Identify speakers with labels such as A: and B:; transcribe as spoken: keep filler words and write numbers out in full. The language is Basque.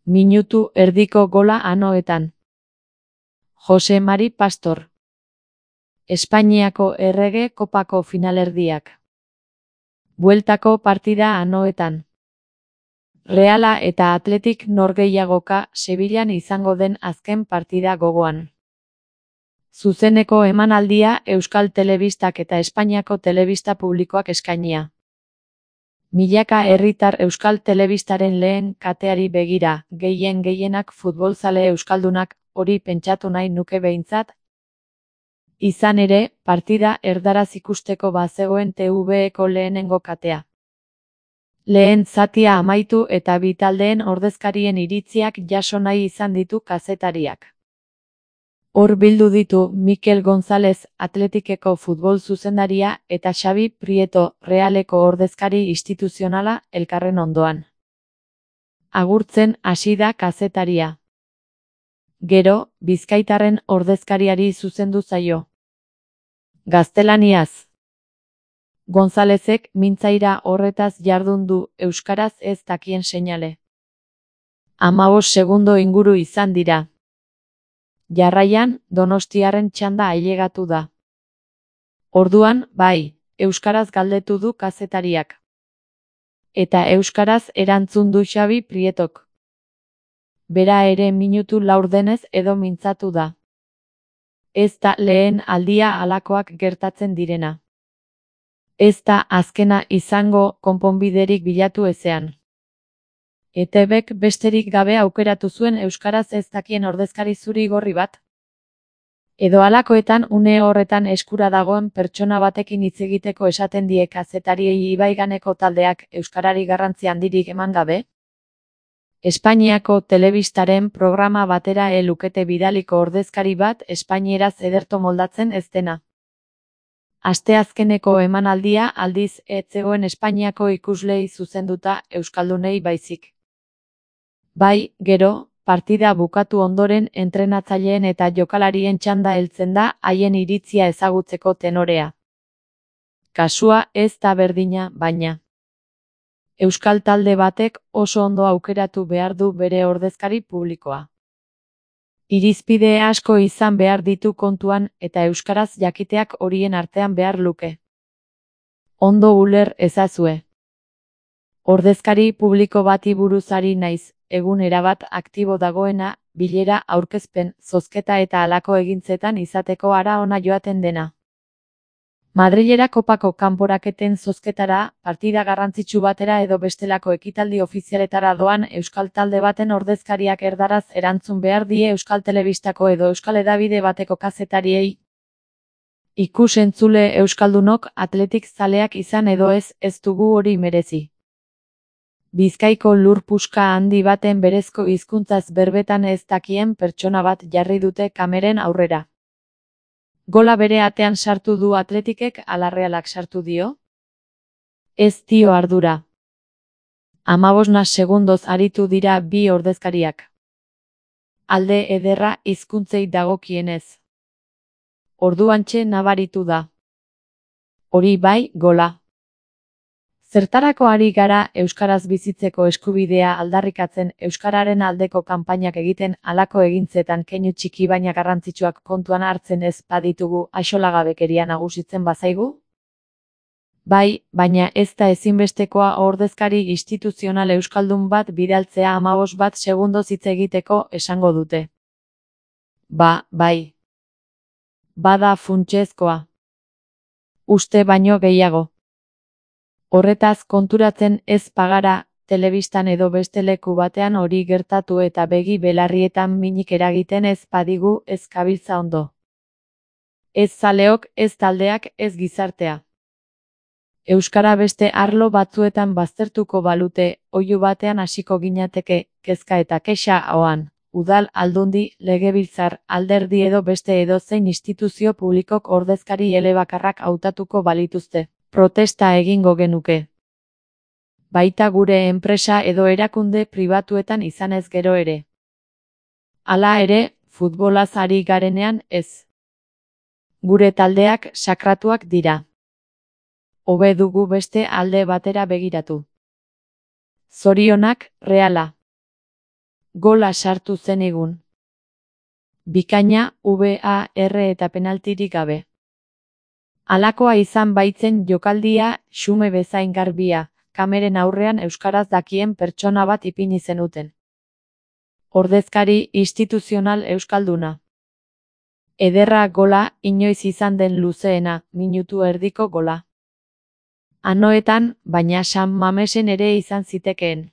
A: Minutu erdiko gola anoetan. Jose Mari Pastor. Espainiako Errege Kopako finalerdiak. Bueltako partida anoetan. Reala eta Atletik norgehiagoka Sevillan izango den azken partida gogoan. Zuzeneko emanaldia Euskal Telebistak eta Espainiako telebista publikoak eskainia. Milaka herritar Euskal Telebistaren lehen kateari begira, gehien gehienak futbolzale euskaldunak, hori pentsatu nahi nuke behintzat. Izan ere, partida erdaraz ikusteko bazegoen T V-eko lehenengo katea. Lehen zatia amaitu eta bi taldeen ordezkarien iritziak jaso nahi izan ditu kazetariak. Hor bildu ditu Mikel González, Atletikeko futbol zuzendaria, eta Xabi Prieto, Realeko ordezkari instituzionala, elkarren ondoan. Agurtzen hasi da kazetaria. Gero, bizkaitarren ordezkariari zuzendu zaio. Gaztelaniaz. Gonzálezek mintzaira horretaz jardun du, euskaraz ez dakien seinale. Hamabost segundo inguru izan dira. Jarraian, Donostiarren txanda ailegatu da. Orduan, bai, euskaraz galdetu du kazetariak. Eta euskaraz erantzun du Xabi Prietok. Bera ere minutu laurdenez edo mintzatu da. Ez da lehen aldia halakoak gertatzen direna. Ez da azkena izango konponbiderik bilatu ezean. E T Bek besterik gabe aukeratu zuen euskaraz ez dakien ordezkari zuri-gorri bat. Edo halakoetan une horretan eskura dagoen pertsona batekin hitz egiteko esaten die kazetariei ibaiganeko taldeak euskarari garrantzi handirik eman gabe. Espainiako telebistaren programa batera e lukete bidaliko ordezkari bat espainieraz ederto moldatzen ez dena. Asteazkeneko emanaldia aldiz ez zegoen Espainiako ikuslei zuzenduta euskaldunei baizik. Bai, gero, partida bukatu ondoren entrenatzaileen eta jokalarien txanda heltzen da haien iritzia ezagutzeko tenorea. Kasua ez da berdina, baina. Euskal talde batek oso ondo aukeratu behar du bere ordezkari publikoa. Irizpide asko izan behar ditu kontuan eta euskaraz jakiteak horien artean behar luke. Ondo uler ezazue. Ordezkari publiko bati buruz ari naiz, egun erabat aktibo dagoena, bilera, aurkezpen, zozketa eta halako egintzetan izateko ara ona joaten dena. Madrilera kopako kanporaketen zozketara, partida garrantzitsu batera edo bestelako ekitaldi ofizialetara doan euskal talde baten ordezkariak erdaraz erantzun behar die Euskal Telebistako edo Euskal Hedabide bateko kazetariei. Ikus-entzule euskaldunok Atletik zaleak izan edo ez, ez dugu hori merezi. Bizkaiko lur puska handi baten berezko hizkuntzaz berbetan ez dakien pertsona bat jarri dute kameren aurrera. Gola bere atean sartu du Atletikek ala Realak sartu dio? Ez dio ardura. Hamabosna segundoz aritu dira bi ordezkariak. Alde ederra hizkuntzei dagokienez. Orduantxe nabaritu da. Hori bai, gola. Zertarako ari gara euskaraz bizitzeko eskubidea aldarrikatzen euskararen aldeko kanpainak egiten halako egintzetan keinu txiki baina garrantzitsuak kontuan hartzen ez baditugu axolagabekeria nagusitzen bazaigu? Bai, baina ez da ezinbestekoa ordezkari instituzional euskaldun bat bidaltzea hamabost bat segundoz hitz egiteko esango dute. Ba, bai. Bada funtsezkoa. Uste baino gehiago. Horretaz konturatzen ez bagara, telebistan edo beste leku batean hori gertatu eta begi belarrietan minik eragiten ez badigu ez gabiltza ondo. Ez zaleok, ez taldeak, ez gizartea. Euskara beste arlo batzuetan baztertuko balute, oihu batean hasiko ginateke, kezka eta kexa ahoan, udal, aldundi, legebiltzar, alderdi edo beste edozein instituzio publikok ordezkari elebakarrak hautatuko balituzte. Protesta egingo genuke. Baita gure enpresa edo erakunde pribatuetan izanez gero ere. Hala ere, futbolaz ari garenean ez. Gure taldeak sakratuak dira. Hobe dugu beste alde batera begiratu. Zorionak, Reala. Gola sartu zenigun. Bikaina, V A R eta penaltirik gabe. Halakoa izan baitzen jokaldia, xume bezain garbia, kameren aurrean euskaraz dakien pertsona bat ipini zenuten. Ordezkari instituzional euskalduna. Ederra gola, inoiz izan den luzeena, minutu erdiko gola. Anoetan, baina San Mamesen ere izan zitekeen.